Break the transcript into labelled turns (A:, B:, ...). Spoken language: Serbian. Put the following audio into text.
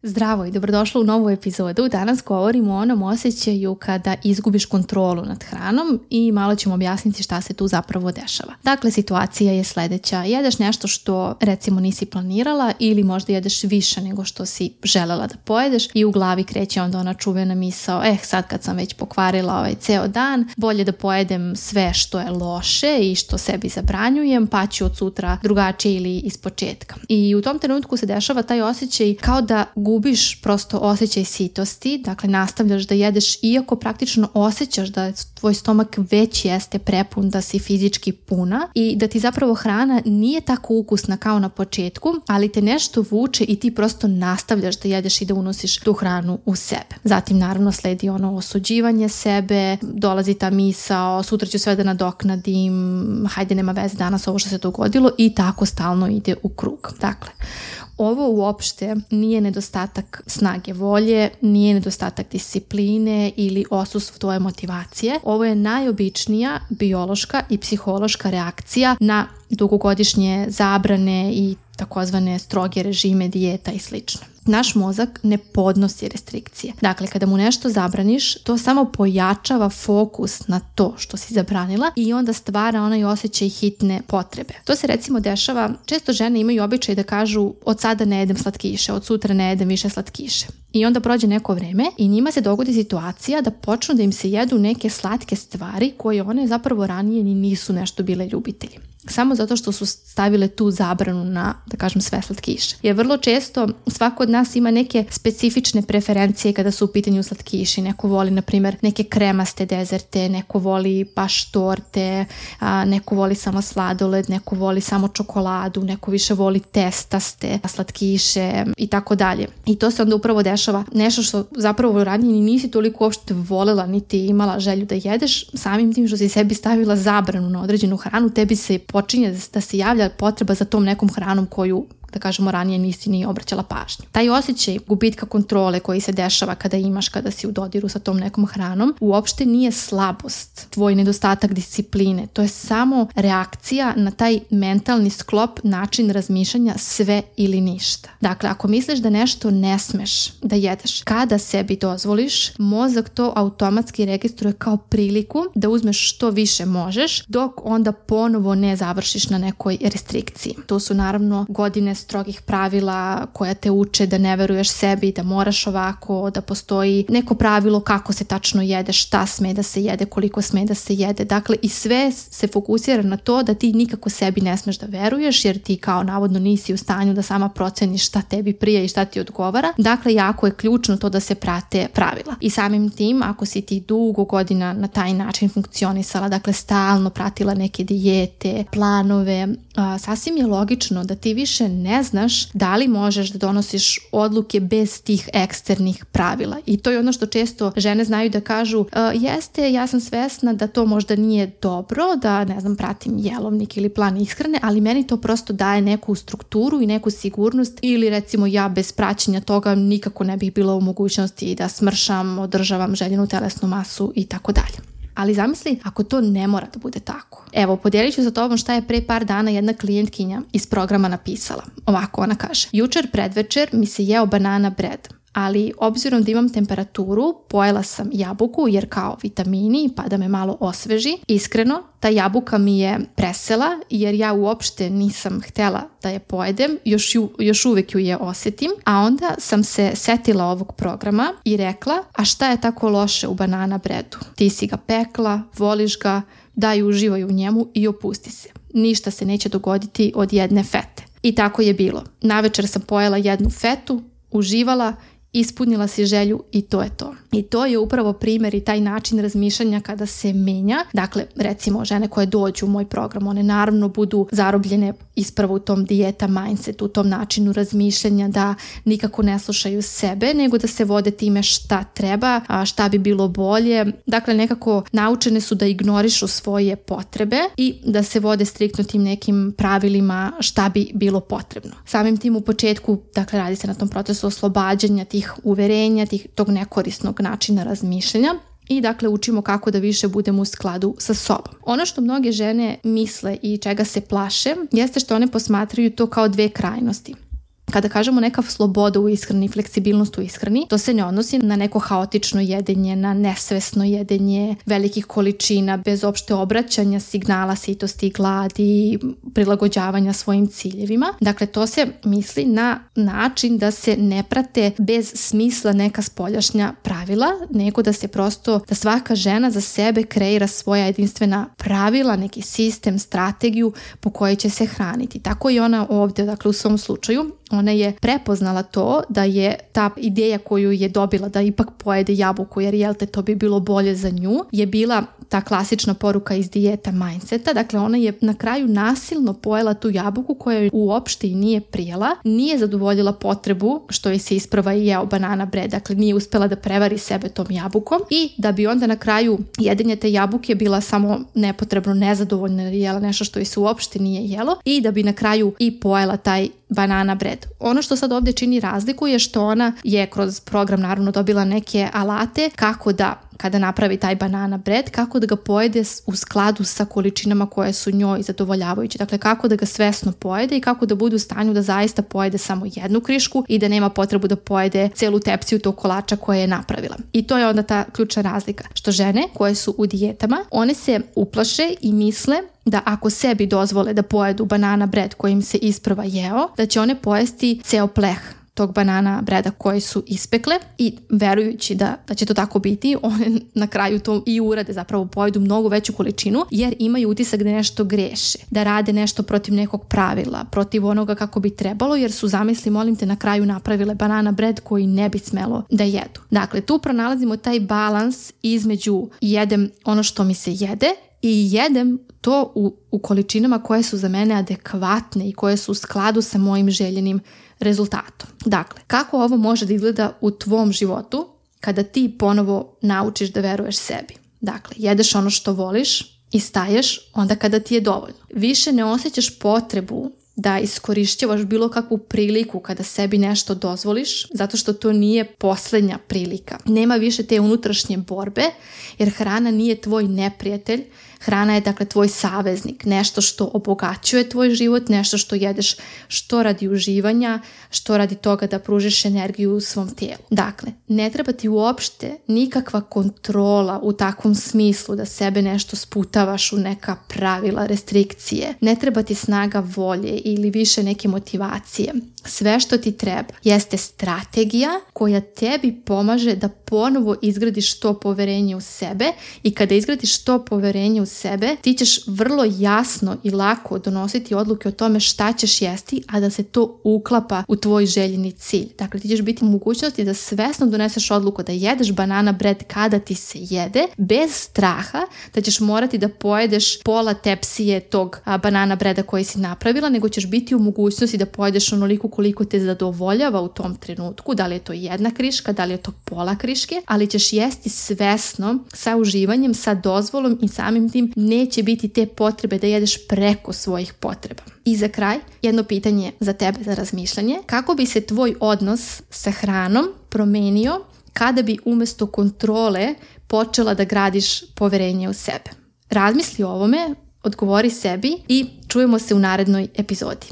A: Zdravo i dobrodošla u novu epizodu. Danas govorimo o onom osjećaju kada izgubiš kontrolu nad hranom i malo ćemo objasniti šta se tu zapravo dešava. Dakle, situacija je sledeća. Jedeš nešto što recimo nisi planirala ili možda jedeš više nego što si želela da pojedeš i u glavi kreće onda ona čuvena misao, sad kad sam već pokvarila ceo dan, bolje da pojedem sve što je loše i što sebi zabranjujem, pa ću od sutra drugačije ili ispočetka. I u tom trenutku se dešava taj osjećaj kao da gubiš prosto osjećaj sitosti, dakle nastavljaš da jedeš iako praktično osjećaš da tvoj stomak već jeste prepun, da si fizički puna i da ti zapravo hrana nije tako ukusna kao na početku, ali te nešto vuče i ti prosto nastavljaš da jedeš i da unosiš tu hranu u sebe. Zatim naravno sledi ono osuđivanje sebe, dolazi ta misao, sutra ću sve da nadoknadim, hajde nema veze danas ovo što se dogodilo i tako stalno ide u krug. Dakle, ovo uopšte nije nedostatak snage volje, nije nedostatak discipline ili odsustvo tvoje motivacije. Ovo je najobičnija biološka i psihološka reakcija na dugogodišnje zabrane i takozvane stroge režime, dijeta i slično. Naš mozak ne podnosi restrikcije. Dakle, kada mu nešto zabraniš, to samo pojačava fokus na to što si zabranila i onda stvara onaj osjećaj hitne potrebe. To se recimo dešava, često žene imaju običaj da kažu od sada ne jedem slatkiše, od sutra ne jedem više slatkiše. I onda prođe neko vreme i njima se dogodi situacija da počnu da im se jedu neke slatke stvari koje one zapravo ranije ni nisu nešto bile ljubitelji. Samo zato što su stavile tu zabranu na, da kažem, sve slatkiše. Jer vrlo često svako od nas ima neke specifične preferencije kada su u pitanju slatkiši. Neko voli, na primjer, neke kremaste dezerte, neko voli baš torte, neko voli samo sladoled, neko voli samo čokoladu, neko više voli testaste slatkiše i tako dalje. I to se onda upravo dešava nešto što zapravo ranije ni nisi toliko uopšte volela niti imala želju da jedeš, samim tim što si sebi stavila zabranu na određenu hranu, tebi se počinje da se javlja potreba za tom nekom hranom koju, da kažemo, ranije nisi ni obraćala pažnju. Taj osjećaj gubitka kontrole koji se dešava kada si u dodiru sa tom nekom hranom uopšte nije slabost, tvoj nedostatak discipline. To je samo reakcija na taj mentalni sklop, način razmišljanja sve ili ništa. Dakle, ako misliš da nešto ne smeš da jedeš, kada sebi dozvoliš, mozak to automatski registruje kao priliku da uzmeš što više možeš, dok onda ponovo ne završiš na nekoj restrikciji. To su naravno godine strogih pravila koja te uče da ne veruješ sebi, da moraš ovako, da postoji neko pravilo kako se tačno jede, šta sme da se jede, koliko sme da se jede. Dakle, i sve se fokusira na to da ti nikako sebi ne smeš da veruješ, jer ti kao navodno nisi u stanju da sama proceniš šta tebi prija i šta ti odgovara. Dakle, jako je ključno to da se prate pravila. I samim tim, ako si ti dugo godina na taj način funkcionisala, dakle stalno pratila neke dijete, planove, sasvim je logično da ti više ne znaš da li možeš da donosiš odluke bez tih eksternih pravila. I to je ono što često žene znaju da kažu, jeste, ja sam svesna da to možda nije dobro, da ne znam, pratim jelovnik ili plan ishrane, ali meni to prosto daje neku strukturu i neku sigurnost, ili recimo ja bez praćenja toga nikako ne bih bila u mogućnosti da smršam, održavam željenu telesnu masu i tako dalje. Ali zamisli ako to ne mora da bude tako. Evo, podijelit ću sa tobom šta je pre par dana jedna klijentkinja iz programa napisala. Ovako ona kaže: jučer predvečer mi se jeo banana bread, ali obzirom da imam temperaturu, pojela sam jabuku jer kao vitamini pa da me malo osveži. Iskreno, ta jabuka mi je presela jer ja uopšte nisam htela da je pojedem, još uvek ju je osjetim, a onda sam se setila ovog programa i rekla, a šta je tako loše u banana breadu? Ti si ga pekla, voliš ga, daj uživaj u njemu i opusti se. Ništa se neće dogoditi od jedne fete. I tako je bilo. Navečer sam pojela jednu fetu, uživala, ispunila si želju i to je to. I to je upravo primjer i taj način razmišljanja kada se menja. Dakle, recimo žene koje dođu u moj program, one naravno budu zarobljene ispravo u tom dijeta mindsetu, u tom načinu razmišljanja, da nikako ne slušaju sebe, nego da se vode time šta treba, a šta bi bilo bolje. Dakle, nekako naučene su da ignorišu svoje potrebe i da se vode striktno tim nekim pravilima šta bi bilo potrebno. Samim tim u početku, dakle, radi se na tom procesu oslobađanja tih uverenja, tog nekorisnog načina razmišljanja i dakle učimo kako da više budemo u skladu sa sobom. Ono što mnoge žene misle i čega se plaše jeste što one posmatraju to kao dve krajnosti. Kada kažemo neka sloboda u ishrani, fleksibilnost u ishrani, to se ne odnosi na neko haotično jedenje, na nesvesno jedenje velikih količina, bez opšte obraćanja signala sitosti i gladi, prilagođavanja svojim ciljevima. Dakle, to se misli na način da se ne prate bez smisla neka spoljašnja pravila, nego da se prosto, da svaka žena za sebe kreira svoja jedinstvena pravila, neki sistem, strategiju po kojoj će se hraniti. Tako i ona ovdje, dakle u svom slučaju, ona je prepoznala to da je ta ideja koju je dobila da ipak pojede jabuku jer jel te to bi bilo bolje za nju, je bila ta klasična poruka iz dijeta mindseta. Dakle, ona je na kraju nasilno pojela tu jabuku koja joj uopšte i nije prijela, nije zadovoljila potrebu što je se isprva i jeo banana bread, dakle nije uspela da prevari sebe tom jabukom i da bi onda na kraju jedenje te jabuke bila samo nepotrebno nezadovoljna jer je jela nešto što joj se uopšte nije jelo i da bi na kraju i pojela taj banana bread. Ono što sad ovdje čini razliku je što ona je kroz program naravno dobila neke alate kako da kada napravi taj banana bread, kako da ga pojede u skladu sa količinama koje su njoj zadovoljavajuće. Dakle, kako da ga svesno pojede i kako da bude u stanju da zaista pojede samo jednu krišku i da nema potrebu da pojede celu tepsiju tog kolača koje je napravila. I to je onda ta ključna razlika. Što žene koje su u dijetama, one se uplaše i misle da ako sebi dozvole da pojedu banana bread koji im se isprva jeo, da će one pojesti ceo pleh tog banana breda koji su ispekle i verujući da će to tako biti, one na kraju to i urade, zapravo pojedu mnogo veću količinu jer imaju utisak da nešto greše, da rade nešto protiv nekog pravila, protiv onoga kako bi trebalo jer su, zamisli, molim te, na kraju napravile banana bread koji ne bi smelo da jedu. Dakle, tu pronalazimo taj balans između jedem ono što mi se jede i jedem to u količinama koje su za mene adekvatne i koje su u skladu sa mojim željenim rezultatom. Dakle, kako ovo može da izgleda u tvom životu kada ti ponovo naučiš da veruješ sebi? Dakle, jedeš ono što voliš i staješ onda kada ti je dovoljno. Više ne osjećaš potrebu da iskorišćavaš bilo kakvu priliku kada sebi nešto dozvoliš, zato što to nije posljednja prilika. Nema više te unutrašnje borbe, jer hrana nije tvoj neprijatelj. Hrana je, dakle, tvoj saveznik, nešto što obogaćuje tvoj život, nešto što jedeš što radi uživanja, što radi toga da pružiš energiju u svom tijelu. Dakle, ne treba ti uopšte nikakva kontrola u takvom smislu da sebe nešto sputavaš u neka pravila, restrikcije. Ne treba ti snaga volje ili više neke motivacije. Sve što ti treba jeste strategija koja tebi pomaže da ponovo izgradiš to poverenje u sebe i kada izgradiš to poverenje u sebe, ti ćeš vrlo jasno i lako donositi odluke o tome šta ćeš jesti, a da se to uklapa u tvoj željeni cilj. Dakle, ti ćeš biti u mogućnosti da svesno doneseš odluku da jedeš banana bread kada ti se jede, bez straha da ćeš morati da pojedeš pola tepsije tog banana breada koji si napravila, nego ćeš biti u mogućnosti da pojedeš onoliko koliko te zadovoljava u tom trenutku, da li je to jedna kriška, da li je to pola kriške, ali ćeš jesti svesno, sa uživanjem, sa dozvolom i samim tim neće biti te potrebe da jedeš preko svojih potreba. I za kraj, jedno pitanje za tebe za razmišljanje. Kako bi se tvoj odnos sa hranom promenio kada bi umjesto kontrole počela da gradiš poverenje u sebe? Razmisli o ovome, odgovori sebi i čujemo se u narednoj epizodi.